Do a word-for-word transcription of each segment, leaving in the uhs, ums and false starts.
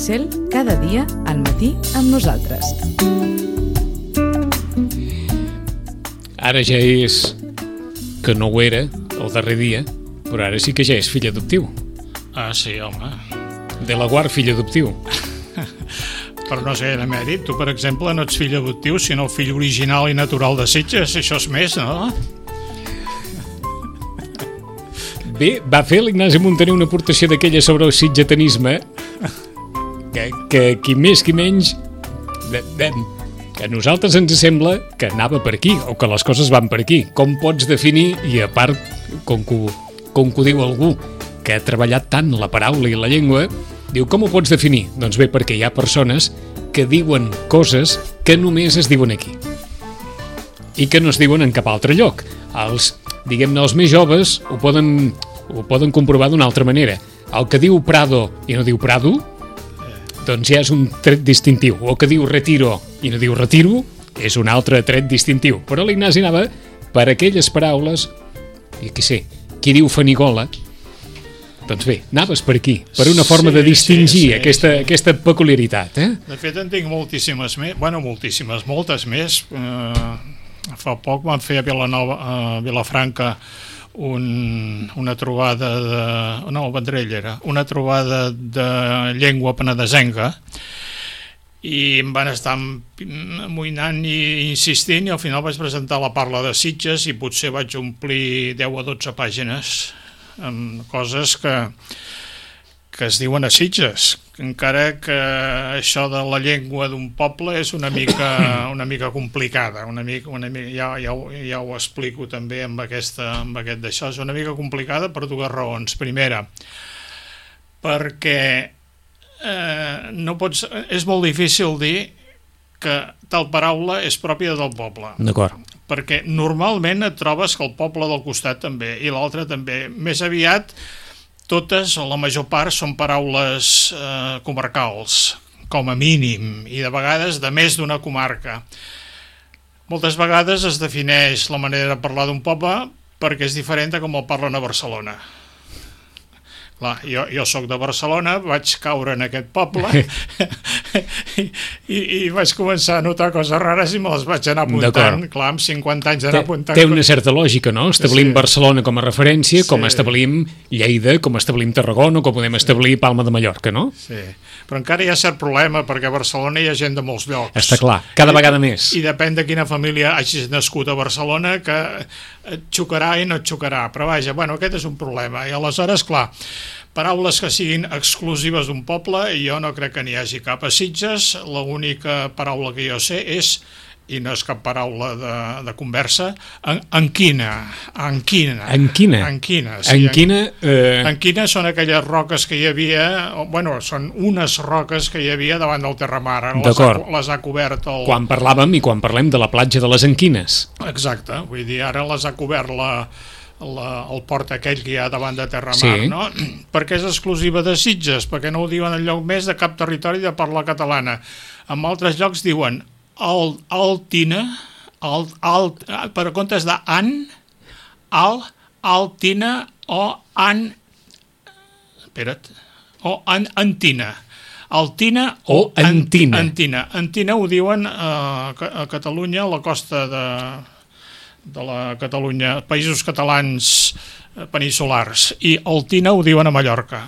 Cel cada dia al matí amb nosaltres. Ara ja és que no ho era el darrer dia, però ara sí que ja és fill adoptiu. Ah, sí, home. De la Guard, fill adoptiu. Però no sé, de mèrit. Tu, per exemple, no ets fill adoptiu, sinó fill original i natural de Sitges. Això és més, no? Bé, va fer l'Ignasi Muntaner una aportació d'aquella sobre el sitgetanisme que, que qui més qui menys de, de, que a nosaltres ens sembla que anava per aquí, o que les coses van per aquí. Com pots definir, i a part, com que, com que ho diu algú que ha treballat tant la paraula i la llengua, diu, com ho pots definir? Doncs bé, perquè hi ha persones que diuen coses que només es diuen aquí i que no es diuen en cap altre lloc. Els, diguem-ne, els més joves ho poden, ho poden comprovar d'una altra manera. El que diu Prado i no diu Prado, doncs ja és un tret distintiu. O que diu Retiro i no diu Retiro, és un altre tret distintiu. Però l'Ignasi anava per aquelles paraules, i qui sé, qui diu Fanigola, doncs bé, anaves per aquí, per una forma sí, de distingir sí, sí, aquesta, sí. aquesta peculiaritat. Eh? De fet, en tinc moltíssimes més, bueno, moltíssimes, moltes més. Eh, fa poc van fer a Vilanova, a Vilafranca, un, una trobada de... No, el Vendrell era. Una trobada de llengua penedesenca, i em van estar amoïnant i insistint, i al final vaig presentar la parla de Sitges i potser vaig omplir deu a dotze pàgines amb coses que, que es diuen a Sitges, encara que això de la llengua d'un poble és una mica, una mica complicada, una mica, una mica, ja, ja, ja ho explico també amb, aquesta, amb aquest d'això, és una mica complicada per dues raons. Primera, perquè eh, no pots, és molt difícil dir que tal paraula és pròpia del poble. D'acord. Perquè normalment et trobes que el poble del costat també, i l'altre també. Més aviat, totes, o la major part, són paraules eh, comarcals, com a mínim, i de vegades de més d'una comarca. Moltes vegades es defineix la manera de parlar d'un poble perquè és diferent de com el parlen a Barcelona. Clar, jo, jo soc de Barcelona, vaig caure en aquest poble i, i, i vaig començar a notar coses rares i me les vaig anar apuntant. Clar, amb cinquanta anys d'anar apuntant... Té una certa lògica, no? Establim sí. Barcelona com a referència, sí. Com establim Lleida, com establim Tarragona, com podem establir Palma de Mallorca, no? Sí, però encara hi ha cert problema, perquè a Barcelona hi ha gent de molts llocs. Està clar, cada I, vegada més. I depèn de quina família hagis nascut a Barcelona, que et xocarà i no et xocarà. Però vaja, bueno, aquest és un problema. I aleshores, clar, paraules que siguin exclusives d'un poble, i jo no crec que n'hi hagi cap a Sitges. L'única paraula que jo sé és, i no és cap paraula de, de conversa, en, enquina. Enquina. Enquina? Enquina, sí. Enquina, eh... enquina són aquelles roques que hi havia, bueno, són unes roques que hi havia davant del terramar. D'acord. Les ha, les ha cobert el... Quan parlàvem i quan parlem de la platja de les Enquines. Exacte, vull dir, ara les ha cobert la... La, el port aquell que hi ha davant de Terramar, sí. No? Perquè és exclusiva de Sitges, perquè no ho diuen enlloc més de cap territori de parla catalana. En altres llocs diuen al, altina, al, al, per comptes de an, al, altina o an, espera't, o an, antina. Altina o, o antina. Antina. Antina ho diuen a, a Catalunya, a la costa de... de la Catalunya, països catalans peninsulars, i Altina ho diuen a Mallorca.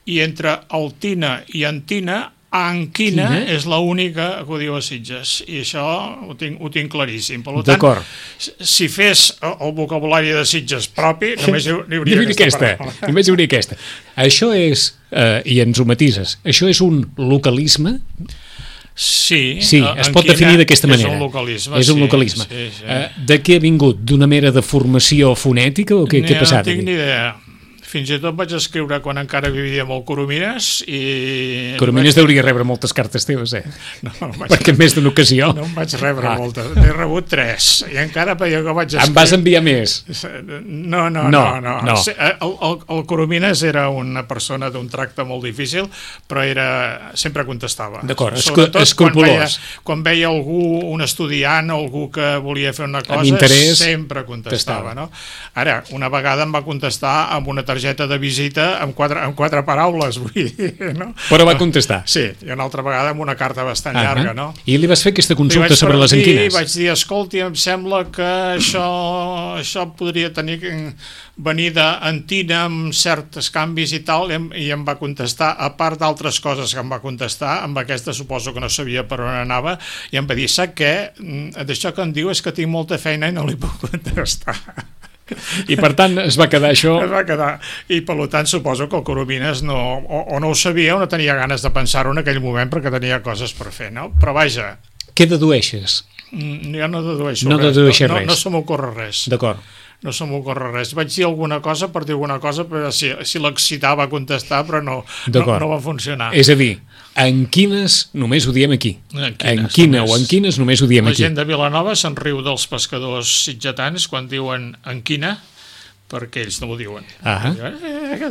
I entre Altina i Antina, Anquina Quina? És l'única que ho diu a Sitges, i això ho tinc, ho tinc claríssim. Per tant, si fes el vocabulari de Sitges propi, només hi hauria aquesta, aquesta només hi hauria aquesta. Això és, eh, i ens ho matises, això és un localisme? Sí, sí, es pot definir d'aquesta manera. És un localisme. És un localisme. Sí, sí, sí. Uh, de què ha vingut? D'una mera de formació fonètica o què, què ha passat? No tinc aquí? ni idea. Fins i tot vaig escriure quan encara vivia amb el Coromines i... Coromines vaig... deuria rebre moltes cartes teves, eh? No, no vaig... Perquè en més d'una ocasió... No en vaig rebre ah. moltes, n'he rebut tres, i encara jo que vaig escriure... Em vas enviar més? No, no, no. no, no. no. El, el, el Coromines era una persona d'un tracte molt difícil, però era sempre contestava. D'acord, escrupolós. Quan, quan veia algú, un estudiant o algú que volia fer una cosa, sempre contestava. No? Ara, una vegada em va contestar amb una targeta targeta de visita amb quatre, amb quatre paraules, vull dir, no? Però va contestar. Sí, i una altra vegada amb una carta bastant uh-huh. llarga, no? I li vas fer aquesta consulta sobre les enquines? I vaig dir, escolti, em sembla que això, això podria tenir venir d'entina amb certs canvis i tal, i em va contestar, a part d'altres coses que em va contestar, amb aquesta suposo que no sabia per on anava, i em va dir, sap què? D'això que em diu és que tinc molta feina i no li puc contestar. I per tant es va quedar això... Es va quedar, i per tant suposo que el Coromines no, o, o no ho sabia o no tenia ganes de pensar-ho en aquell moment perquè tenia coses per fer, no? Però vaja... Què dedueixes? Jo no dedueixo no res, dedueixes no, res. No, no se m'ocorre res. D'acord. No se m'ocorre res. Vaig dir alguna cosa per dir alguna cosa, però si, si l'excitava a contestar, però no, no, no va funcionar. És a dir, en quines només ho diem aquí. En quines, en quina només. o en quines només ho diem La aquí. La gent de Vilanova se'n riu dels pescadors sitgetans quan diuen en quina, perquè ells no ho diuen. Ah. Eh,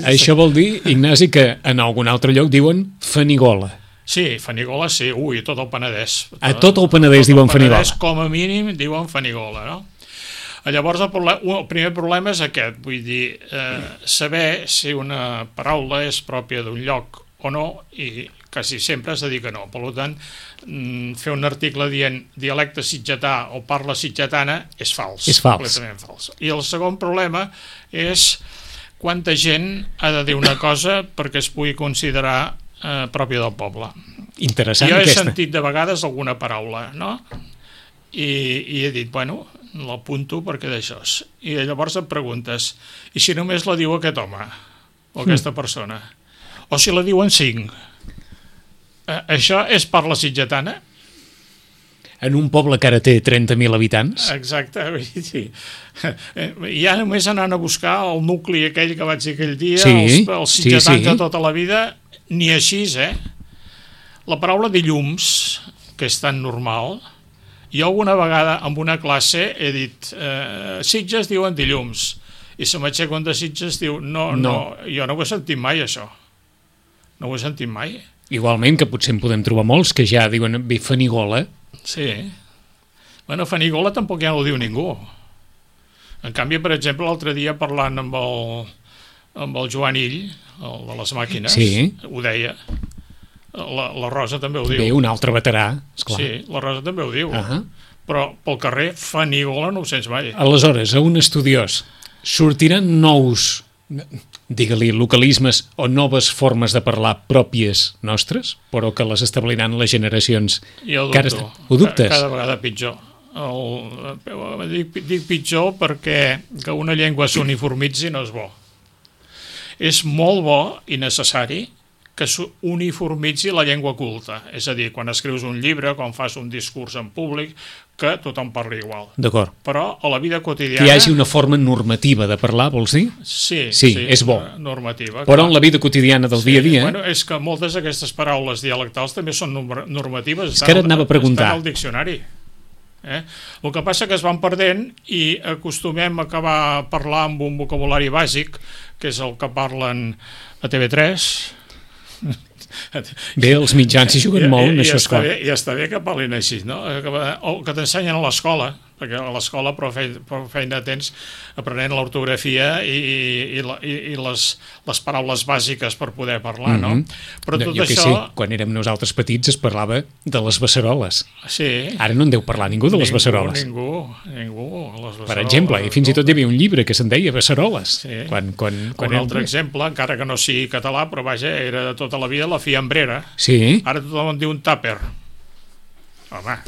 Això vol dir, Ignasi, que en algun altre lloc diuen Fanigola. Sí, Fanigola sí, ui, tot el Penedès. A tot el Penedès tot diuen el Fanigola. Com a mínim diuen Fanigola, no? Llavors el, problem, el primer problema és aquest, vull dir, eh, saber si una paraula és pròpia d'un lloc o no, i quasi sempre has de dir que no. Per tant, fer un article dient dialecte sitgetà o parla sitgetana és fals. És fals. Completament fals. I el segon problema és quanta gent ha de dir una cosa perquè es pugui considerar eh, pròpia del poble. Interessant jo he aquesta. sentit de vegades alguna paraula, no? I, i he dit, bueno, l'apunto perquè d'això. I llavors et preguntes, i si només la diu aquest home o aquesta persona? O si la diuen cinc? Eh, això és parla sitgetana? En un poble que ara té trenta mil habitants? Exacte, sí. Ja només anant a buscar el nucli aquell que vaig dir aquell dia, sí, els, els sitgetans sí, sí. de tota la vida, ni així, eh? La paraula dilluns, que és tan normal, jo alguna vegada en una classe he dit eh, Sitges diuen dilluns, i se m'aixeca un de Sitges diu no, no, no, jo no ho he sentit mai això, no ho he sentit mai. Igualment que potser en podem trobar molts que ja diuen bé Fanigola. Sí, bueno, Fanigola tampoc ja no ho diu ningú. En canvi, per exemple, l'altre dia parlant amb el, amb el Joan Ill, el de les màquines, sí. Ho deia. La, la Rosa també ho diu. Bé, un altre veterà, esclar. Sí, la Rosa també ho diu. Uh-huh. Però pel carrer Fanigola no ho sents mai. Aleshores, a un estudiós sortiran nous, digue-li, localismes o noves formes de parlar pròpies nostres, però que les establiran les generacions. Jo ho que ara dubto. està... Ho dubtes? Cada vegada pitjor. El, dic, dic pitjor perquè que una llengua s'uniformitzi no és bo. És molt bo i necessari que s'uniformitzi la llengua culta. És a dir, quan escrius un llibre, quan fas un discurs en públic, que tothom parli igual. D'acord. Però a la vida quotidiana... Que hi hagi una forma normativa de parlar, vols dir? Sí, sí, sí és bo. Normativa. Però clar. En la vida quotidiana del sí, dia a dia... Bueno, és que moltes d'aquestes paraules dialectals també són normatives. És que ara et anava a preguntar. Estan al diccionari. Eh? El que passa que es van perdent i acostumem a acabar a parlar amb un vocabulari bàsic, que és el que parlen a T V tres... Bé, els mitjans s'hi juguen I, molt, i, això és clar. I està bé que parlin així, no? O que t'ensenyen a l'escola, perquè a l'escola prou feina, prou feina tens aprenent l'ortografia i, i, i, i les, les paraules bàsiques per poder parlar, no? Mm-hmm. Però tot jo això... que sí, quan érem nosaltres petits es parlava de les beceroles. Sí. Ara no en deu parlar ningú de les ningú, beceroles. Ningú, ningú. Les per exemple, i fins i tot hi havia un llibre que se'n deia Beceroles. Sí. Quan, quan, quan un altre exemple, encara que no sigui català, però vaja, era de tota la vida la fiambrera. Sí. Ara tothom en diu un tàper. Home...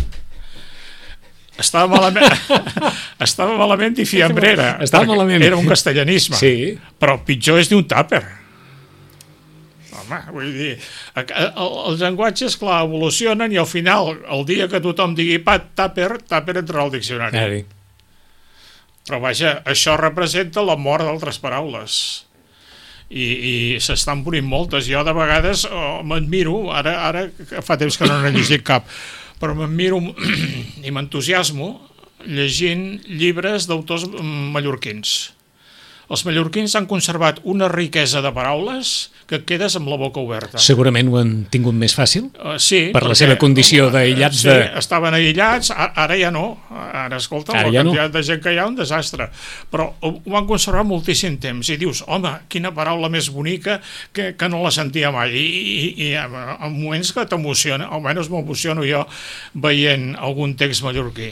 Estava malament, estava malament i fiambrera. Estava malament. Era un castellanisme. Sí. Però pitjor és dir un tàper. Home, vull dir... Els llenguatges, clar, evolucionen i al final, el dia que tothom digui pat, tàper, tàper entrarà al diccionari. Ari. Però vaja, això representa la mort d'altres paraules. I, i s'estan morint moltes. Jo de vegades oh, m'admiro, ara, ara fa temps que no n'he llegit cap, però m'admiro i m'entusiasmo llegint llibres d'autors mallorquins. els mallorquins han conservat una riquesa de paraules que et quedes amb la boca oberta. Segurament ho han tingut més fàcil? Uh, sí. Per la seva condició d'aïllats sí, de... estaven aïllats, ara ja no. Ara, escolta, ara la ja quantitat no. de gent que hi ha, un desastre. Però ho van conservar moltíssim temps. I dius, home, quina paraula més bonica que, que no la sentia mai. I, i, i en moments que t'emociona, almenys m'emociono jo veient algun text mallorquí.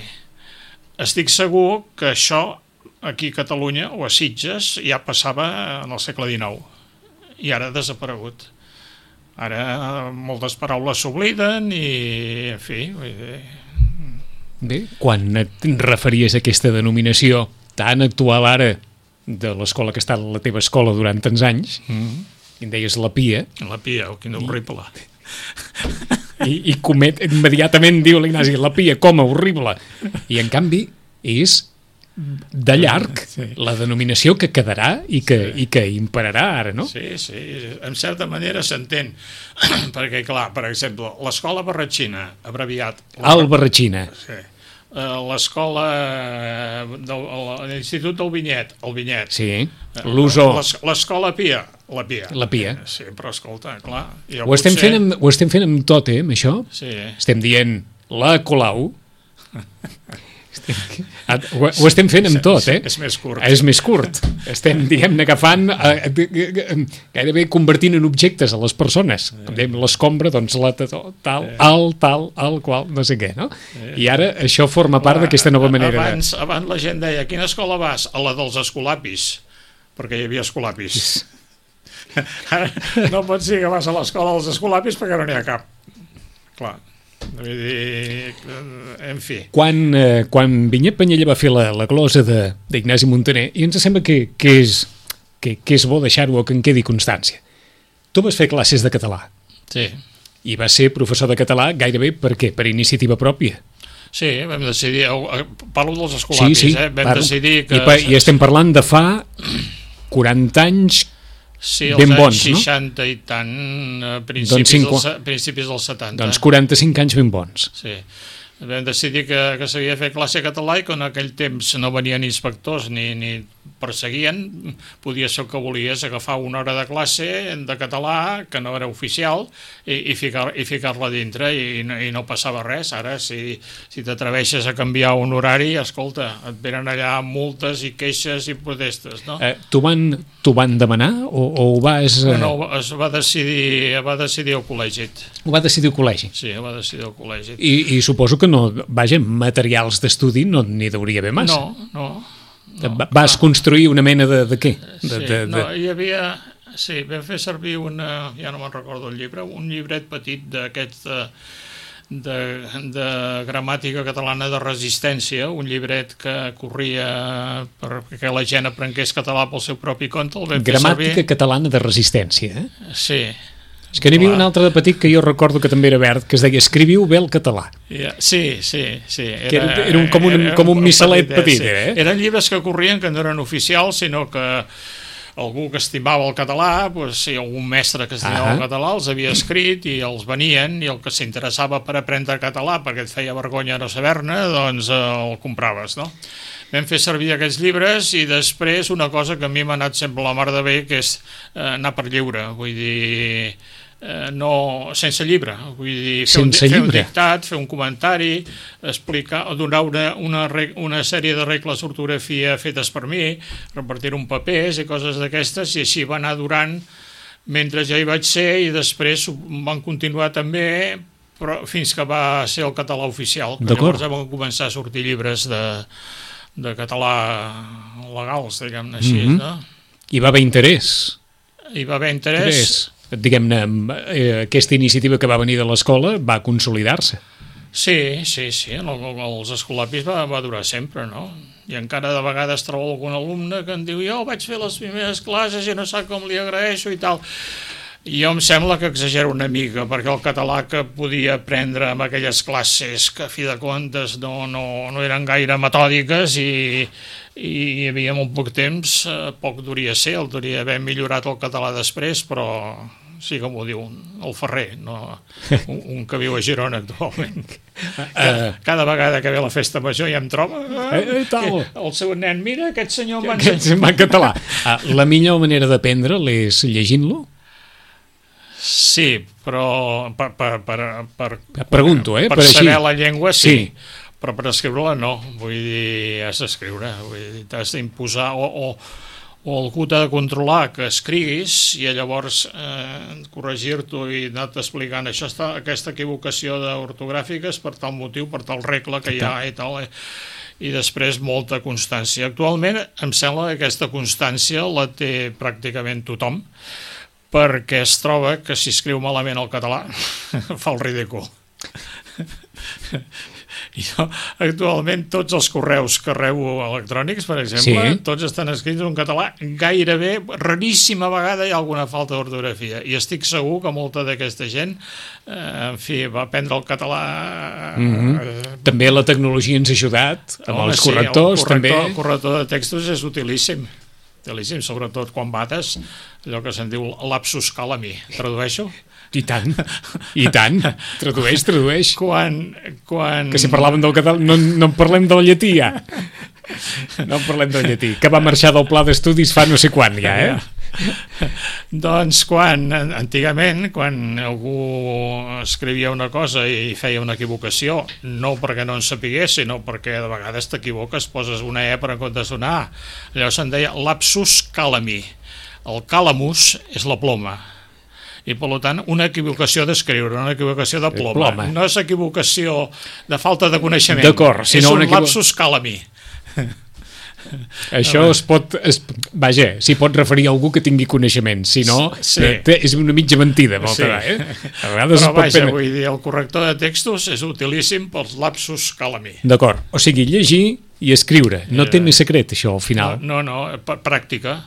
Estic segur que això aquí a Catalunya o a Sitges ja passava en el segle dinou i ara ha desaparegut. Ara moltes paraules s'obliden i, en fi... Vull dir... Bé, quan et referies a aquesta denominació tan actual ara de l'escola que ha estat la teva escola durant tants anys, mm-hmm. i em deies la Pia... La Pia, oh, quina horrible... I, i comet, immediatament diu l'Ignasi, la Pia, com a horrible. I en canvi és de llarg sí. la denominació que quedarà i que, sí. i que imperarà ara, no? Sí, sí, en certa manera s'entén. Perquè, clar, per exemple, l'escola Barratxina, abreviat... El Barratxina. Sí. L'escola de l'Institut del Vinyet, el Vinyet. Sí, l'Uso. L'escola Pia, la Pia. La Pia. Sí, però escolta, clar... Ho estem, potser... fent amb, ho estem fent amb tot, eh, amb això? Sí. Estem dient la Colau. Ho, ho estem fent amb tot, eh? És més curt. És més curt. Estem, diguem-ne, agafant, eh, gairebé convertint en objectes a les persones. Com dèiem, l'escombra, doncs la tal, el tal, el qual, no sé què, no? I ara això forma part d'aquesta nova manera. Abans, abans la gent deia, a quina escola vas? A la dels escolapis, perquè hi havia escolapis. Ara no pots dir que vas a l'escola dels escolapis perquè no n'hi ha cap. Clar. Vull dir, en fi. Quan, eh, quan Vinyet Penyella va fer la, la glosa d'Ignasi Muntaner, i ens sembla que, que, és, que, que és bo deixar-ho o que en quedi constància. Tu vas fer classes de català. Sí. I vas ser professor de català gairebé per què? Per iniciativa pròpia. Sí, vam decidir, parlo dels escolapis, sí, sí, eh? vam parlo. decidir que... I, I estem parlant de fa quaranta anys sí, ben bons, no? seixanta i tant, principis, doncs cinco... dels, principis dels setanta. Doncs quaranta-cinc anys ben bons. Sí. Vam decidir que, que s'havia de fer classe català i que en aquell temps no venien inspectors ni, ni perseguien, podia ser el que volies, agafar una hora de classe de català, que no era oficial, i, i ficar, i ficar-la dintre i, i no passava res. Ara, si, si t'atreveixes a canviar un horari, escolta, et venen allà multes i queixes i protestes, no? Eh, T'ho van, van demanar o, o ho vas... Eh... No, no, es va decidir, va decidir el col·legi. Ho va decidir el col·legi? Sí, ho va decidir el col·legi. I, i suposo que no, vaja, materials d'estudi no n'hi hauria haver massa. No, no. No, vas clar. construir una mena de, de què? De, sí, de, de... no, hi havia... Sí, vam fer servir una... Ja no me'n recordo el llibre, un llibret petit d'aquest de, de, de gramàtica catalana de resistència, un llibret que corria perquè la gent aprengués català pel seu propi compte. El vam gramàtica fer servir... catalana de resistència, eh? Sí. És que n'hi havia un altre de petit que jo recordo que també era verd, que es deia escriviu bé el català. Yeah, sí, sí, sí. Era, que era, era un, com un, era, com un missalet petit, petit sí. eh? Eren llibres que corrien, que no eren oficials, sinó que algú que estimava el català, doncs, si algun mestre que estimava uh -huh. el català els havia escrit i els venien, i el que s'interessava per aprendre català perquè et feia vergonya no saber-ne, doncs eh, el compraves, no? Vam fer servir aquests llibres i després una cosa que a mi m'ha anat sempre la mar de bé, que és eh, anar per lliure, vull dir... Eh, no, sense llibre, vull dir, fer, un, fer un dictat, fer un comentari, explicar, donar una, una, una sèrie de regles d'ortografia fetes per mi, repartir un papers i coses d'aquestes, i així va anar durant mentre ja hi vaig ser, i després van continuar també, però fins que va ser el català oficial, que llavors van començar a sortir llibres de, de català legals, diguem-ne així, mm-hmm. no? Hi va haver interès. Hi va haver interès. interès. Diguem-ne, eh, aquesta iniciativa que va venir de l'escola va consolidar-se. Sí, sí, sí, els escolapis va, va durar sempre, no? I encara de vegades trobo algun alumne que em diu jo vaig fer les primeres classes i no sap com li agraeixo i tal. I jo em sembla que exagero una mica, perquè el català que podia aprendre en aquelles classes que a fi de comptes no, no, no eren gaire metòdiques i, i hi havia molt poc temps, poc duria ser, el duria haver millorat el català després, però sí, com ho diu, el Ferrer, no? un, un que viu a Girona actualment. Uh, Cada vegada que ve la festa major ja em troba eh, eh, tal. el seu nen, mira, aquest senyor m'ha que se'n va en català. Uh, la millor manera d'aprendre'l és llegint-lo? Sí, però per, per, per, per, Pregunto, eh? per, Per saber així. la llengua sí, Sí. però per escriure-la no, vull dir, has d'escriure, vull dir, t'has d'imposar, o, o, o algú t'ha de controlar que escriguis i llavors eh, corregir-t'ho i anar-te explicant això està, aquesta equivocació d'ortogràfica és per tal motiu, per tal regla que hi ha i tal, eh? I després molta constància. Actualment em sembla que aquesta constància la té pràcticament tothom, perquè es troba que si escriu malament el català fa el ridícul. Jo, actualment tots els correus que rebo electrònics, per exemple, Sí. tots estan escrits en català, gairebé, raríssima vegada hi ha alguna falta d'ortografia, i estic segur que molta d'aquesta gent eh, en fi, va aprendre el català Mm-hmm. eh, També la tecnologia ens ha ajudat, amb home, els sí, correctors, el corrector, també. El corrector de textos és utilíssim, utilíssim, sobretot quan bates, allò que se'n diu lapsus calami. Tradueixo? I tant, i tant. Tradueix, tradueix. Quan... quan... Que si parlàvem del català, no, no en parlem del llatí, ja. No en parlem del llatí, que va marxar del pla d'estudis fa no sé quan, ja, eh? Doncs quan, antigament, quan algú escrivia una cosa i feia una equivocació, no perquè no en sapigués, sinó perquè de vegades t'equivoques, poses una E per en comptes d'una A. Llavors se'n deia lapsus calami. El calamus és la ploma. I, per tant, una equivocació d'escriure, una equivocació de ploma. ploma. No és equivocació de falta de coneixement. D'acord, és sinó un una equivo- lapsus calami. Això es pot... Es, vaja, s'hi pot referir a algú que tingui coneixement, si no, Sí. eh, és una mitja mentida, molta Sí. vegada, eh? A vegades Però es pot vaja, prendre- vull dir, el corrector de textos és utilíssim pels lapsus calami. D'acord, o sigui, llegir i escriure. No té Eh, més secret, això, al final. No, no, no pr- pràctica.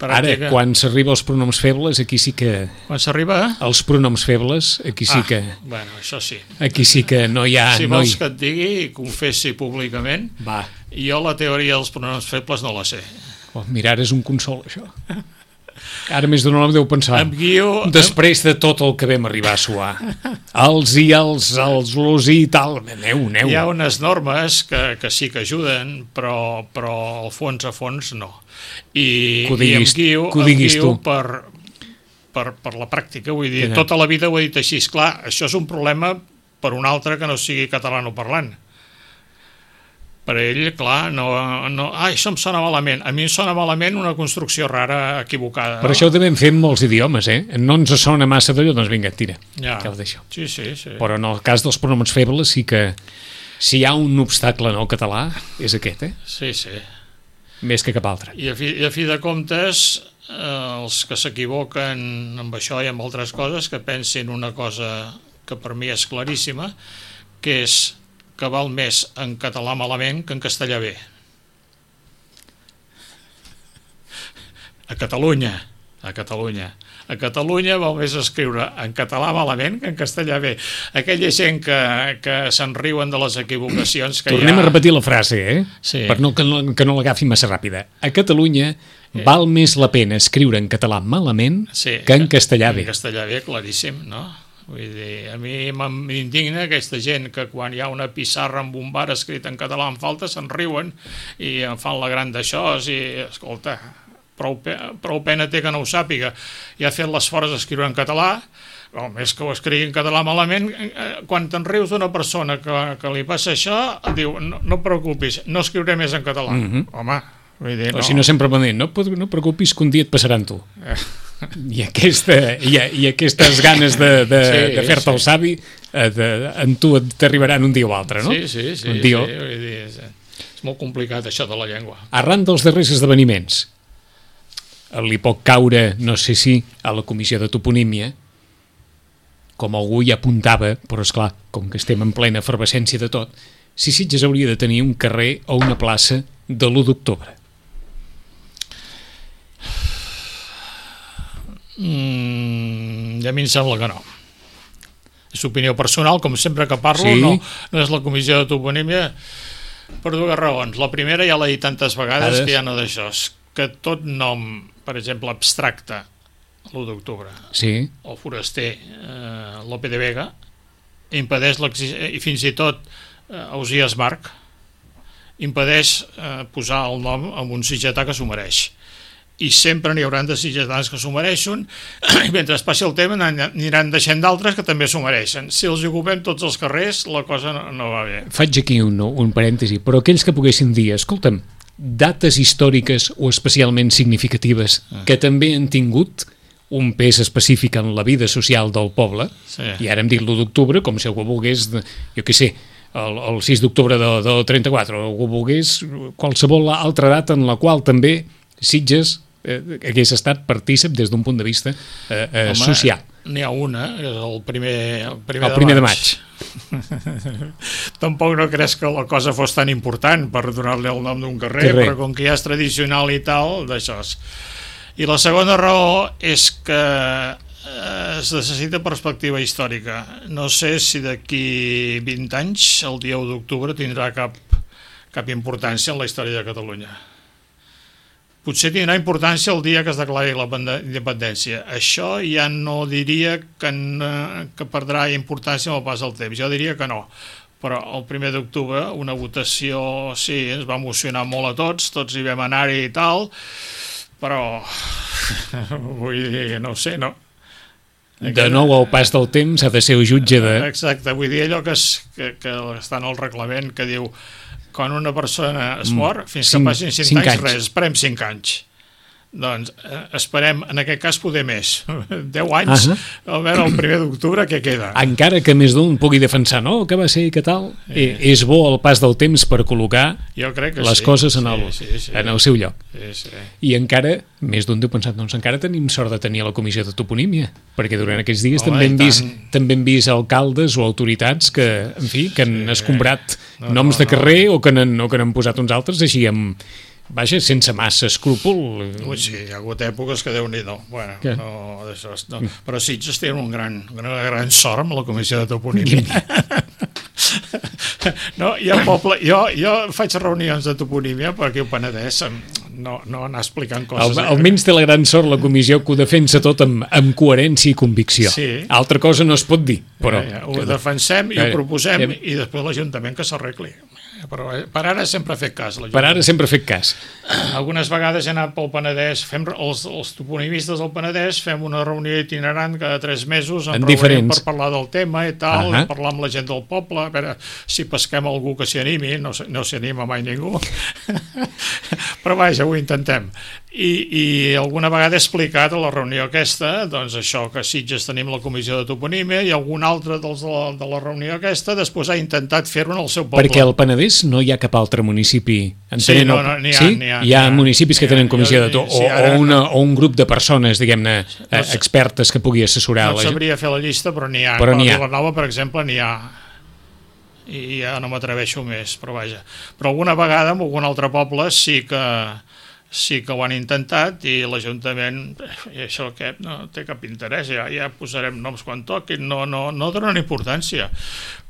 Ara, pràctica. quan s'arriba als pronoms febles, aquí sí que... Quan s'arriba... Els pronoms febles, aquí sí que... Ah, bueno, això sí. Aquí sí que no hi ha... Si no vols hi... que et digui i confessi públicament, Va, jo la teoria dels pronoms febles no la sé. oh, mira, ara és un consol, això. Ara més d'un home deu pensar... Em guio... Després de tot el que vam arribar a suar, els i els, els los i tal, aneu, aneu. Hi ha unes normes que, que sí que ajuden, però, però al fons a fons no. I, Que ho i em diguis- guio, que ho em diguis guio tu. per, per, per la pràctica. Vull dir, Ja. tota la vida ho he dit així. Esclar, això és un problema per un altre que no sigui catalanoparlant. Per ell, clar, no, no, ah, això em sona malament. A mi em sona malament una construcció rara, equivocada. Per això ho devem fer amb molts idiomes, eh? No ens sona massa d'allò, doncs vinga, tira, Ja. que ho deixo. Sí, sí, sí. Però en el cas dels pronoms febles sí que si hi ha un obstacle en el català és aquest, eh? Sí, sí. Més que cap altre. I a fi, i a fi de comptes, eh, els que s'equivoquen amb això i amb altres coses, que pensin una cosa que per mi és claríssima, que és que val més en català malament que en castellà bé. A Catalunya, a Catalunya. A Catalunya val més escriure en català malament que en castellà bé. Aquella gent que, que se'n riuen de les equivocacions que Tornem hi ha... a repetir la frase, eh? Sí. Per no, que no, que no l'agafi massa ràpida. A Catalunya val més la pena escriure en català malament Sí, que en castellà bé. En castellà bé, claríssim, no? Vull dir, a mi m'indigna aquesta gent que quan hi ha una pissarra amb un bar escrit en català en falta se'n riuen i en fan la gran d'això i, escolta, prou, pe prou pena té que no ho sàpiga. I ha fet l'esforç d'escriure en català, o més que ho escrigui en català malament, quan te'n rius d'una persona que, que li passa això, diu, no, no et preocupis, no escriuré més en català. Mhm. Home, vull dir, O no. si no sempre va dir, no, et- no et preocupis que un dia et passarà amb tu. I, aquesta, i, i aquestes ganes de, de, Sí, de fer-te sí. el savi eh, de, en tu t'arribaran un dia o altre, no? Sí, sí, sí, Un sí, dia... vull dir, és, és molt complicat això de la llengua. Arran dels darrers esdeveniments, li pot caure, no sé si, a la comissió de toponímia, com algú hi apuntava, però és clar, com que estem en plena efervescència de tot, si Sitges hauria de tenir un carrer o una plaça de l'u d'octubre. Mm, I a mi em sembla que no. És opinió personal, com sempre que parlo, Sí. no, no és la comissió de toponímia, per dues raons. La primera ja l'he dit tantes vegades Vegades. que ja no d'això, és que tot nom, per exemple, abstracte, l'u d'octubre. Sí. El foraster eh, Lope de Vega impedeix l'existència, i fins i tot eh, Ausiàs Marc impedeix eh, posar el nom en un sitgetà que s'ho mereix. I sempre n'hi hauran de sitgetans que s'ho mereixen, i mentre es passi el tema n'aniran deixant d'altres que també s'ho mereixen. Si els ocupem tots els carrers, la cosa no, no va bé. Faig aquí un, un parèntesi, però aquells que poguessin dir, escolta'm, dates històriques o especialment significatives que també han tingut un pes específic en la vida social del poble, sí. I ara hem dit l'u d'octubre com si algú volgués, jo què sé, el, el sis d'octubre del de trenta-quatre, o algú volgués qualsevol altra data en la qual també Sitges eh, hagués estat partícip des d'un punt de vista eh, eh, Home, social. N'hi ha una, és el primer, el primer, el primer de de maig. maig. Tampoc no creus que la cosa fos tan important per donar-li el nom d'un carrer, carrer, però com que ja és tradicional i tal, d'això és. I la segona raó és que es necessita perspectiva històrica. No sé si d'aquí vint anys el dia u d'octubre tindrà cap, cap importància en la història de Catalunya. Potser tindrà importància el dia que es declari la independència. Això ja no diria que, no, que perdrà importància amb el pas del temps. Jo diria que no. Però el primer d'octubre una votació, sí, ens va emocionar molt a tots, tots hi vam anar-hi i tal, però vull dir, no ho sé, no. De nou, al pas del temps ha de ser el jutge de... Exacte, vull dir allò que, es, que, que està en el reglament que diu quan una persona es mor, fins que passin cinc, cinc anys, anys, res, esperem cinc anys. Doncs eh, esperem, en aquest cas, poder més. deu anys, uh -huh. A veure, el primer d'octubre, què queda? Encara que més d'un pugui defensar, no?, que va ser i que tal, eh. és bo el pas del temps per col·locar jo crec que les sí. coses en el, sí, sí, sí. en el seu lloc. Sí, sí. I encara, més d'un deu pensat, doncs encara tenim sort de tenir la comissió de toponímia, perquè durant aquests dies Home, també hem, vist, tant. també hem vist alcaldes o autoritats que, en fi, que han sí. escombrat no, noms no, de carrer no. o que n'han o que n'han posat uns altres així amb... Vaja, sense massa escrúpol. Ui, sí, hi ha hagut èpoques que Déu-n'hi-do. Bueno, no, d'això, no. Però Sitges té un gran, una gran sort amb la comissió de toponímia. No, hi ha poble, jo, jo faig reunions de toponímia per aquí al Penedès, no, no anar explicant coses. Al, almenys té la gran sort la comissió que ho defensa tot amb, amb coherència i convicció. Sí. Altra cosa no es pot dir, però... Ja, ja, ho defensem i ho proposem ja, i després l'Ajuntament que s'arregli. Però per ara sempre ha fet cas. Per ara sempre ha fet cas. Algunes vegades he anat pel Penedès, fem, els, els toponimistes del Penedès fem una reunió itinerant cada tres mesos en diferents per parlar del tema i tal, uh -huh. parlar amb la gent del poble, a veure si pesquem algú que s'hi animi, no, no s'hi anima mai ningú. Però vaja, ho intentem. I, i alguna vegada he explicat a la reunió aquesta, doncs això, que a Sitges tenim la comissió de toponímia i algun altre dels de la, de la reunió aquesta després ha intentat fer-ho en el seu poble. Perquè al Penedès no hi ha cap altre municipi. Sí, no, no, n'hi ha, sí? n'hi ha. Hi ha municipis que tenen comissió de to, o, sí, ara, o, una, o un grup de persones, diguem-ne, no, expertes que pugui assessorar. No sabria fer la llista, però n'hi ha. Però n'hi ha. A Vilanova, per exemple, n'hi ha. I ja no m'atreveixo més, però vaja. Però alguna vegada en algun altre poble sí que sí que ho han intentat i l'Ajuntament, i això que no té cap interès, ja, ja posarem noms quan toquin, no, no, no donen importància.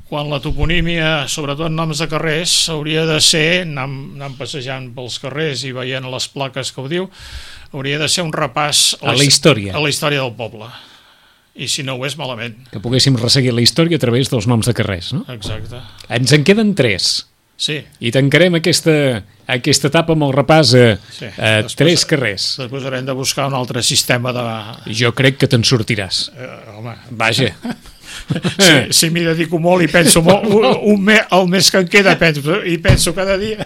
Quan la toponímia, sobretot noms de carrers, hauria de ser, anant, anant passejant pels carrers i veient les plaques que ho diu, hauria de ser un repàs a la història, a la història del poble. I si no ho és, malament. Que poguéssim resseguir la història a través dels noms de carrers, no? Exacte. Ens en queden tres. Sí. I tancarem aquesta, aquesta etapa amb el repàs a, sí. a després, tres carrers. Després haurem de buscar un altre sistema de... Jo crec que te'n sortiràs. Eh, home. Vaja. Si, si m'hi dedico molt i penso molt, un, un me, el mes que em queda penso, i penso cada dia,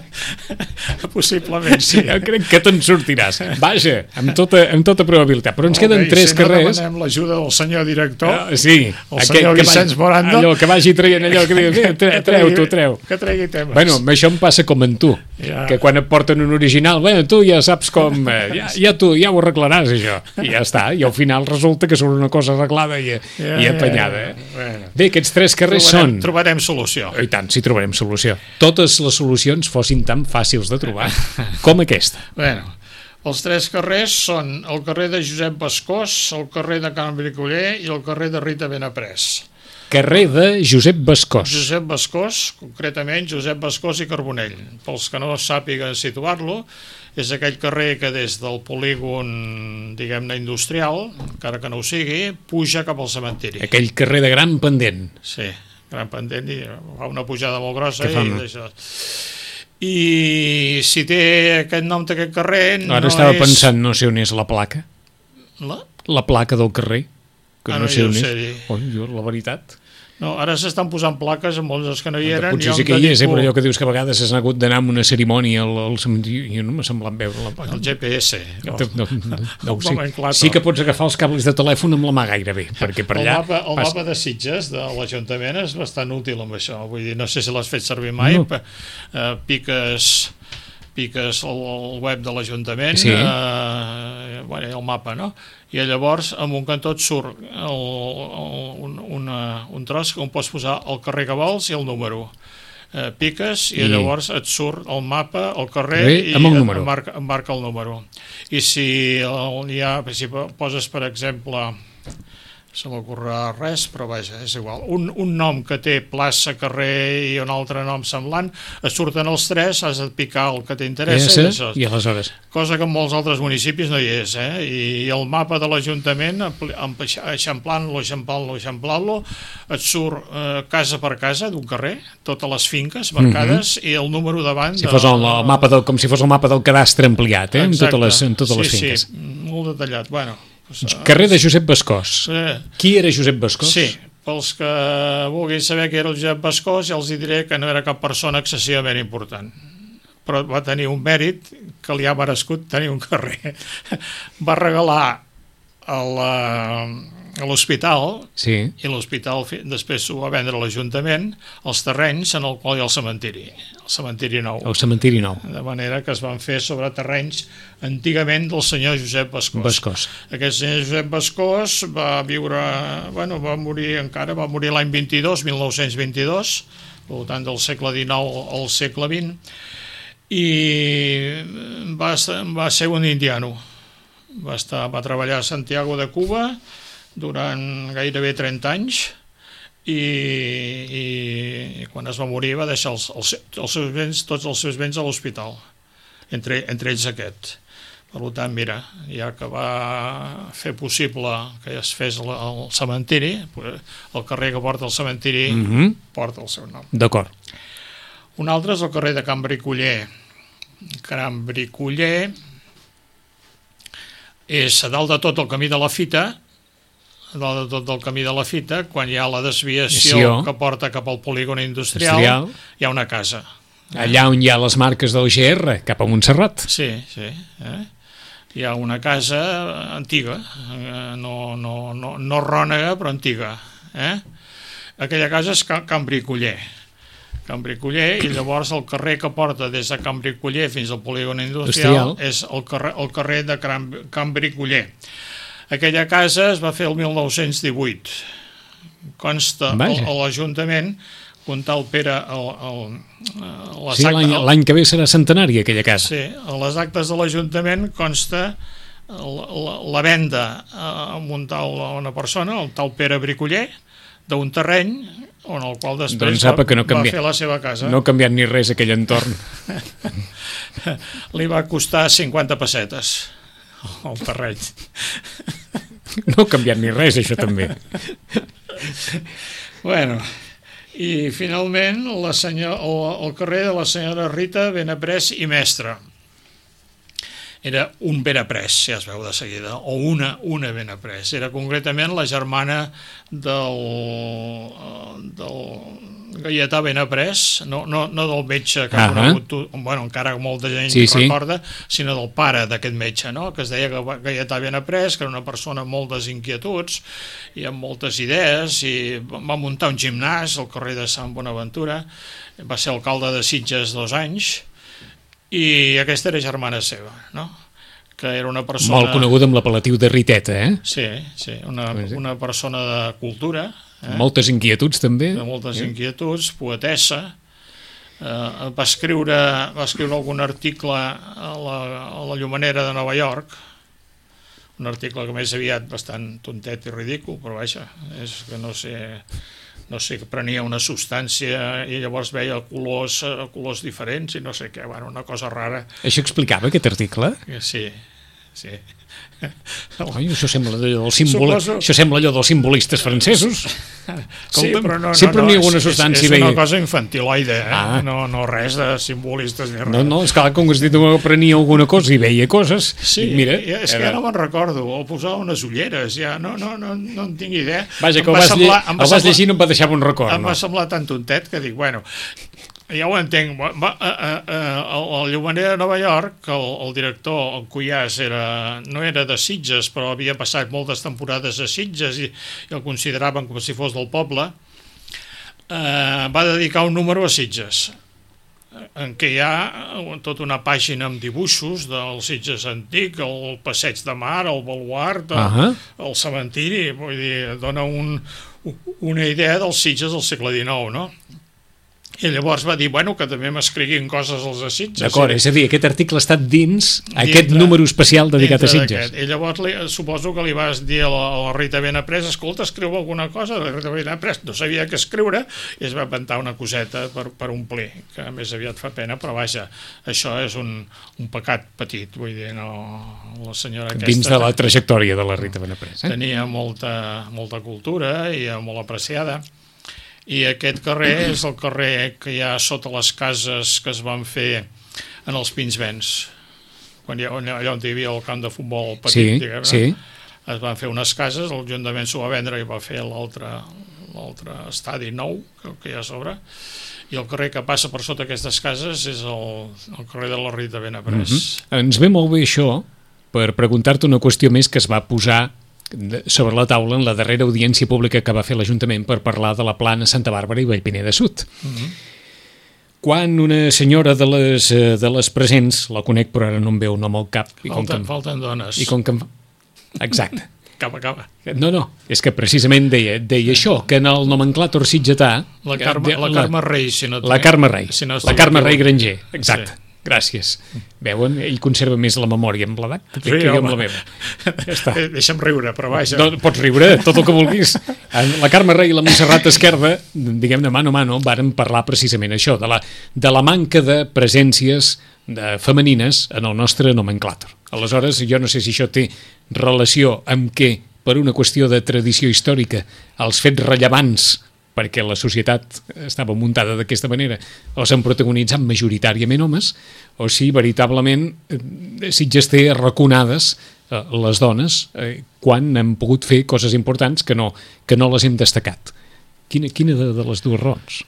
possiblement sí. Jo crec que te'n sortiràs. Vaja, amb tota, amb tota probabilitat. Però ens okay, queden tres si carrers. Si no demanem l'ajuda del senyor director, uh, sí, el senyor que Vicenç vagi, Moranda, allò que vagi traient allò que digui, tre, treu, tu, treu. Que tregui temes. Bueno, això em passa com en tu, ja. Que quan et porten un original, bueno, tu ja saps com, eh, ja, ja tu ja ho arreglaràs, això. I ja està, i al final resulta que surt una cosa arreglada i, ja, i apanyada. Eh? Bueno. Bé, aquests tres carrers trobarem, són... Trobarem solució. I tant, sí, trobarem solució. Totes les solucions fossin tan fàcils de trobar com aquesta. Bueno, els tres carrers són el carrer de Josep Bascós, el carrer de Can Bricoller i el carrer de Rita Benaprés. Carrer de Josep Bascós. Josep Bascós, concretament Josep Bascós i Carbonell. Pels que no sàpiguen situar-lo, és aquell carrer que des del polígon, diguem-ne, industrial, encara que no ho sigui, puja cap al cementiri. Aquell carrer de gran pendent. Sí, gran pendent, i fa una pujada molt grossa i fan... d'això. I si té aquest nom d'aquest carrer... Ara no estava és... pensant, no sé on és la placa. La? La placa del carrer. Que Ah, no no, sé jo on ho és. sé dir. Oh, jo, la veritat. No, ara s'estan posant plaques en molts dels que no hi eren. Potser sí que hi és, eh, però allò que dius que a vegades has hagut d'anar amb una cerimònia al, al cementiri, jo no m'ha semblat veure la placa. El G P S. No, no, no, no, sí. Nomenclator. Sí que pots agafar els cables de telèfon amb la mà gairebé, perquè per allà... El mapa, el pas... mapa de Sitges de l'Ajuntament és bastant útil amb això. Vull dir, no sé si l'has fet servir mai, No. no. eh, piques... piques el, el web de l'Ajuntament, Sí. eh, bueno, el mapa, no? I llavors, en un cantó et surt el, el, un, una, un tros on pots posar el carrer que vols i el número. Eh, piques i, I llavors et surt el mapa, el carrer, Carrer i amb el et número. marca, et marca el número. I si, el, hi ha, si poses, per exemple, se m'ocorrerà res, però vaja, és igual. Un, un nom que té plaça, carrer i un altre nom semblant, et surten els tres, has de picar el que t'interessa. Sí, I, això. i aleshores... Cosa que en molts altres municipis no hi és, eh? I el mapa de l'Ajuntament, eixamplant-lo, eixamplant-lo, eixamplant-lo, et surt eh, casa per casa d'un carrer, totes les finques marcades, mm -hmm. i el número davant... Si fos el, el mapa del, com si fos el mapa del cadastre ampliat, eh? Amb totes les, amb totes sí, les finques. Sí, molt detallat. Bueno, carrer de Josep Bascós. Eh, Qui era Josep Bascós? Sí, pels que vulguin saber qui era el Josep Bascós, ja els diré que no era cap persona excessivament important, però va tenir un mèrit que li ha merescut tenir un carrer. Va regalar a la... a l'hospital, Sí. i l'hospital després ho va vendre a l'Ajuntament, els terrenys en el qual hi ha el cementiri, el cementiri nou. El cementiri nou. De manera que es van fer sobre terrenys antigament del senyor Josep Bascós. Bascós. Aquest senyor Josep Bascós va viure, bueno, va morir encara, va morir l'any vint-i-dos, mil nou-cents vint-i-dos, al voltant del segle dinou al segle vint, i va, va ser un indiano. Va, estar, va treballar a Santiago de Cuba durant gairebé trenta anys, i, i, i quan es va morir va deixar els, els, els seus béns, tots els seus béns a l'hospital, entre, entre ells aquest. Per tant, mira, ja que va fer possible que es fes el, el cementiri, el carrer que porta el cementiri mm -hmm. porta el seu nom. D'acord. Un altre és el carrer de Can Bricoller. Can Bricoller és a dalt de tot el camí de la Fita, a dalt de tot el camí de la Fita, quan hi ha la desviació Desvió. que porta cap al polígon industrial, Industrial. hi ha una casa. Allà on hi ha les marques del G R, cap a Montserrat. Sí, sí. Eh? Hi ha una casa antiga, eh? no, no, no, no rònega, però antiga. Eh? Aquella casa és Can Bricoller. Can Bricoller, i llavors el carrer que porta des de Can Bricoller fins al polígon industrial, industrial. és el carrer, el carrer de Can, Can Bricoller. Aquella casa es va fer el mil nou-cents divuit. Consta a l'Ajuntament, comptar el Pere... El, el, sí, l'any que ve serà centenari, aquella casa. Sí, a les actes de l'Ajuntament consta la, la venda a un tal, a una persona, el tal Pere Bricoller, d'un terreny on el qual després doncs va, que no canvia, va fer la seva casa. No ha canviat ni res aquell entorn. Li va costar cinquanta pessetes el terreny. No ha canviat ni res, això també. Bueno, i finalment la senyor, el, el carrer de la senyora Rita Benaprés i Mestre. Era un Benaprés, ja es veu de seguida, o una, una Benaprés. Era concretament la germana del, del Gaietà Benaprés, no, no, no del metge que ha uh -huh. conegut, bueno, encara molta gent sí, sí. recorda, sinó del pare d'aquest metge, no? Que es deia Gaietà Benaprés, que era una persona amb moltes inquietuds i amb moltes idees, i va muntar un gimnàs al carrer de Sant Bonaventura, va ser alcalde de Sitges dos anys, i aquesta era germana seva, no? Que era una persona... Molt coneguda amb l'apel·latiu de Riteta, eh? Sí, sí, una, una persona de cultura. Eh? Moltes inquietuds, també. De moltes eh? inquietuds, poetessa. Eh, va, escriure, va escriure algun article a la, a la Llumanera de Nova York, un article que més aviat bastant tontet i ridícul, però vaja, és que no sé, no sé, que prenia una substància i llavors veia colors, colors diferents i no sé què, bueno, una cosa rara. Això explicava aquest article? Sí, sí. Oi, això sembla allò del símbol... Suposo... això sembla allò dels simbolistes francesos. Sí, però no, sempre no, n'hi ha no, alguna és, substància. és veia... una cosa infantiloide, eh? Ah. no, no res de simbolistes ni res. No, no, és clar, com que has dit que prenia alguna cosa i veia coses, sí, i mira... és que era... ja no me'n recordo, o posava unes ulleres, ja no, no, no, no en tinc idea. Vaja, que em el va vas, semblar, lle... em va el vas semblar, llegir i no em va deixar bon record. Em no? va semblar tan tontet que dic, bueno, ja ho entenc. Va, a, a, a, el Llumaner de Nova York, el, el director, el Cuyàs, era, no era de Sitges, però havia passat moltes temporades a Sitges i, i el consideraven com si fos del poble, eh, va dedicar un número a Sitges, en què hi ha tota una pàgina amb dibuixos del Sitges antic, el passeig de mar, el baluart, el, uh-huh. el cementiri, vull dir, dona un, una idea dels Sitges del segle dinou, no? I llavors va dir, bueno, que també m'escriguin coses als de Sitges. D'acord, és a dir, aquest article ha estat dins, dins aquest dintre, número especial dedicat a Sitges. I llavors li, suposo que li vas dir a la, a la Rita Benaprés, escolta, escriu alguna cosa, la Rita Benaprés no sabia què escriure i es va inventar una coseta per, per omplir, que més aviat fa pena, però vaja, això és un, un pecat petit, vull dir, no, la senyora aquesta... Dins de la trajectòria de la Rita Benaprés. Eh? Tenia molta, molta cultura i molt apreciada. I aquest carrer és el carrer que hi ha sota les cases que es van fer en els Pinsbens, quan hi ha, allà on hi havia el camp de futbol petit, sí, diguem, sí. Es van fer unes cases, l'Ajuntament s'ho va vendre i va fer l'altre l'altre estadi nou que hi ha a sobre, i el carrer que passa per sota aquestes cases és el, el carrer de la Rita Benaprés. Mm-hmm. Ens ve molt bé això per preguntar-te una qüestió més que es va posar sobre la taula en la darrera audiència pública que va fer l'Ajuntament per parlar de la plana Santa Bàrbara i Vallpineda Sud. Mm-hmm. Quan una senyora de les, de les presents, la conec però ara no em veu nom al cap... I falten, com que, falten dones. I com que... Exacte. Acaba, acaba. No, no, és que precisament deia, deia això, que en el nomenclàtor sitgetà... La Carme, la Carme Rei, si no... La Carme Rei, si no la Carme Rei Granger, exacte. Sí. Gràcies. Veuen? Ell conserva més la memòria amb l'edat que, sí, que jo amb la meva. Ja està. Deixa'm riure, però vaja. No, pots riure, tot el que vulguis. La Carme Rei i la Montserrat Esquerda, diguem-ne mano a mano, varen parlar precisament això, de la, de la manca de presències de femenines en el nostre nomenclàtor. Aleshores, jo no sé si això té relació amb que, per una qüestió de tradició històrica, els fets rellevants perquè la societat estava muntada d'aquesta manera, els han protagonitzat majoritàriament homes, o si veritablement Sitges té arraconades eh, les dones eh, quan han pogut fer coses importants que no, que no les hem destacat. Quina, quina de, de les dues raons?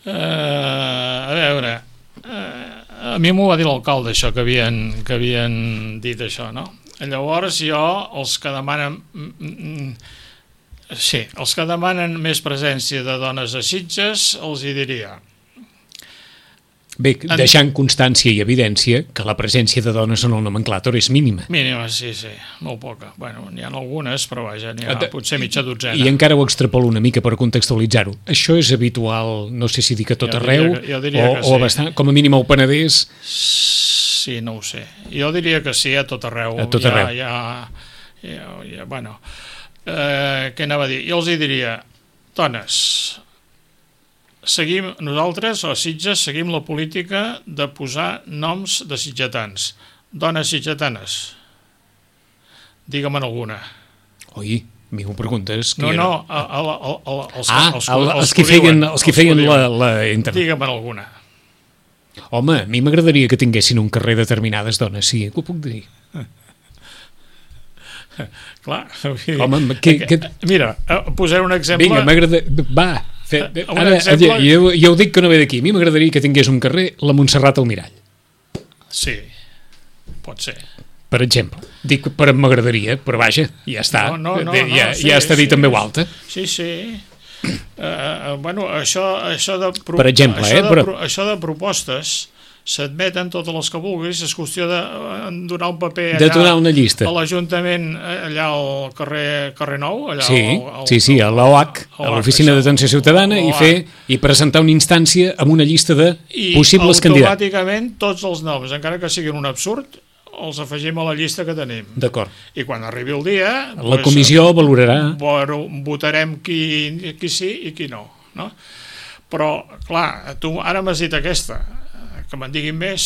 Uh, a veure, uh, a mi m'ho va dir l'alcalde, això, que havien, que havien dit això, no? Llavors jo, els que demanen... Mm, mm, Sí, els que demanen més presència de dones a Sitges els hi diria. Bé, deixant constància i evidència que la presència de dones en el nomenclàtor és mínima. Mínima, sí, sí, molt poca. Bueno, n'hi ha algunes, però vaja, n'hi ha potser mitja dotzena. I encara ho extrapolo una mica per contextualitzar-ho. Això és habitual, no sé si dir que tot jo arreu, diria que, jo diria o, que sí. o bastant, com a mínim al Penedès... Sí, no ho sé. Jo diria que sí, a tot arreu. A tot arreu. Ja, ja, ja, ja bueno... Eh, què anava a dir? Jo els hi diria, dones, seguim, nosaltres, a Sitges, seguim la política de posar noms de sitgetans. Dones sitgetanes. Digue'm alguna. Oi, a mi ho preguntes. No, no, a, a, a, a, els, ah, els, els, els, els que feien, els que feien la, la internet. Digue'm alguna. Home, a mi m'agradaria que tinguessin un carrer determinades dones, sí, que ho puc dir. Clar, home, que, que... mira, posaré un exemple. Vinga, m'agrada... Va, fe... ara, exemple... jo, jo ho dic que no ve d'aquí. A mi m'agradaria que tingués un carrer la Montserrat Almirall. Sí, pot ser. Per exemple, dic per m'agradaria, però vaja, ja està, no, no, no, ja, no, sí, ja està dit sí, en veu alta. Sí, sí. Uh, bueno, això, això de pro... per exemple, això eh, de però... pro... això de propostes s'admeten totes les que vulguis, és qüestió de donar un paper allà, de donar una llista a l'Ajuntament, allà al carrer, carrer Nou, allà sí, al, al, sí, sí, a l'O H, a l'Oficina d'Atenció Ciutadana, i fer i presentar una instància amb una llista de I possibles candidats. I automàticament tots els noms, encara que siguin un absurd, els afegim a la llista que tenim. D'acord. I quan arribi el dia... La comissió valorarà... Votarem qui, qui sí i qui no, no? Però, clar, tu ara m'has dit aquesta, que me'n diguin més,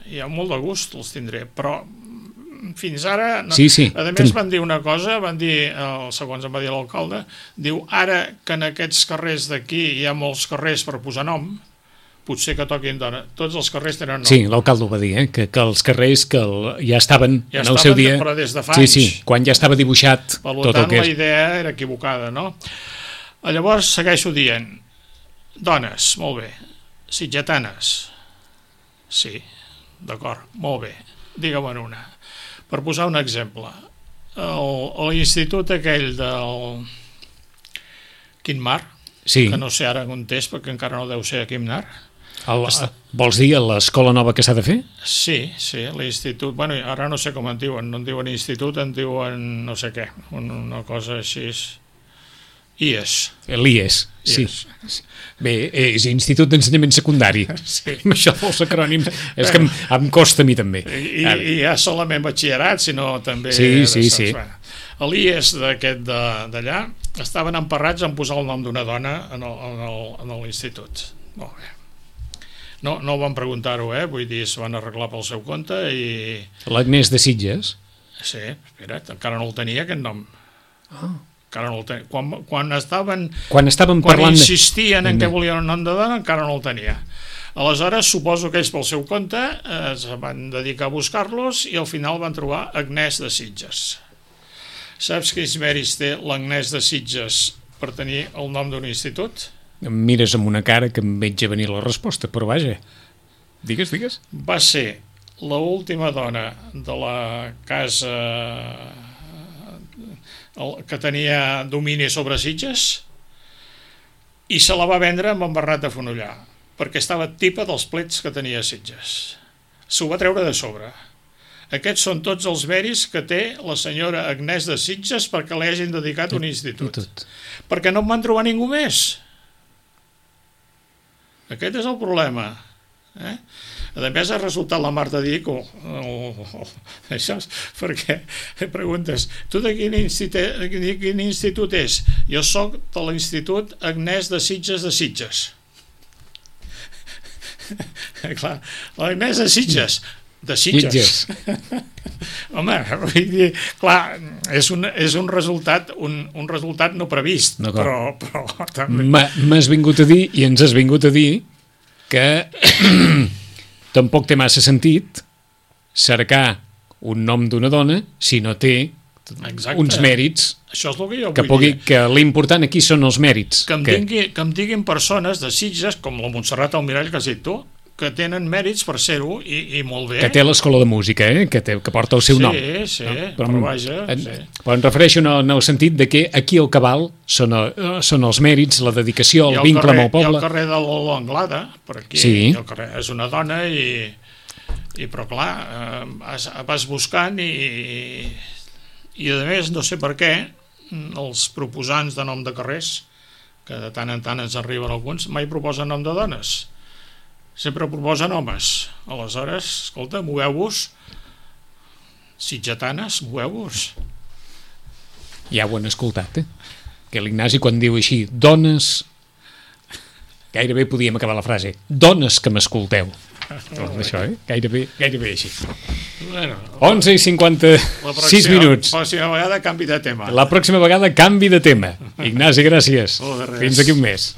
i amb molt de gust els tindré, però fins ara... No. Sí, sí. A més van dir una cosa, van dir, el, segons em va dir l'alcalde, diu, ara que en aquests carrers d'aquí hi ha molts carrers per posar nom, potser que toquin dona. Tots els carrers tenen nom. Sí, l'alcalde ho va dir, eh? que, que els carrers que el, ja estaven ja en el estaven, seu dia... però des de fa sí, anys. sí, quan ja estava dibuixat per tot tant, el que és. La idea era equivocada, no? Llavors segueixo dient, dones, molt bé, sitgetanes, sí, d'acord, molt bé, digue'm una. Per posar un exemple, l'institut aquell del Quimnar, sí. que no sé ara on és, perquè encara no deu ser a Quimnar. El, vols dir l'escola nova que s'ha de fer? Sí, sí, l'institut, bueno, ara no sé com en diuen, no en diuen institut, en diuen no sé què, una cosa així... I E S. L'I E S, sí. Bé, és Institut d'Ensenyament Secundari. Sí. Això dels acrònims és que em, em costa a mi també. I, i ja solament batxillerat, sinó també... Sí, sí, sí. L'I E S d'aquest d'allà estaven emparrats en posar el nom d'una dona en l'institut. Molt bé. No, no ho van preguntar-ho, eh? Vull dir, es van arreglar pel seu compte i... L'Agnès de Sitges? Sí, espera't, encara no el tenia aquest nom. Ah. Encara no el tenia. Quan, quan estaven... Quan estaven quan parlant... insistien en què volien un nom de dona, encara no el tenia. Aleshores, suposo que ells pel seu compte eh, es van dedicar a buscar-los i al final van trobar Agnès de Sitges. Saps quins mèrits té l'Agnès de Sitges per tenir el nom d'un institut? Em mires amb una cara que em veig a venir la resposta, però vaja, digues, digues. Va ser l'última dona de la casa que tenia domini sobre Sitges i se la va vendre amb en Bernat de Fonollar perquè estava tipa dels plets que tenia Sitges. S'ho va treure de sobre. Aquests són tots els mèrits que té la senyora Agnès de Sitges perquè li hagin dedicat un institut. Perquè no en van trobar ningú més. Aquest és el problema. Eh? A més, ha resultat la Marta Dic, oh, oh, oh, això és perquè preguntes, tu de quin institut, quin institut és? Jo soc de l'Institut Agnès de Sitges de Sitges. Clar, l'Agnès de Sitges, de Sitges. Home, vull dir, clar, és un, és un resultat un, un resultat no previst, no, però, però també... M'has vingut a dir, i ens has vingut a dir, que tampoc té massa sentit cercar un nom d'una dona si no té Exacte. Uns mèrits. Això és el que jo que vull pugui, dir. Que l'important aquí són els mèrits. Que em, que... Dingui, que em diguin persones de Sitges, com la Montserrat Almirall que has dit tu, que tenen mèrits per ser-ho i, i molt bé. Que té l'escola de música, eh? que, té, que porta el seu sí, nom. Sí, sí, no? però, però vaja... En, sí. Però em refereixo en el, en el sentit de que aquí el cabal són, són els mèrits, la dedicació, el, el vincle carrer, amb el poble. I el carrer de l'Olo Anglada, per aquí, sí. el carrer és una dona i... i però clar, eh, vas, vas buscant i... i a més, no sé per què, els proposants de nom de carrers, que de tant en tant ens arriben alguns, mai proposen nom de dones. Sempre proposen homes. Aleshores, escolta, moveu-vos, sitgetanes, moveu-vos. Ja ho han escoltat, eh? Que l'Ignasi quan diu així, dones, gairebé podíem acabar la frase, dones que m'escolteu. Tot això, eh? Gairebé, gairebé així. Bueno, onze i cinquanta-sis minuts. La pròxima vegada canvi de tema. La pròxima vegada canvi de tema. Ignasi, gràcies. Oh, fins aquí un mes.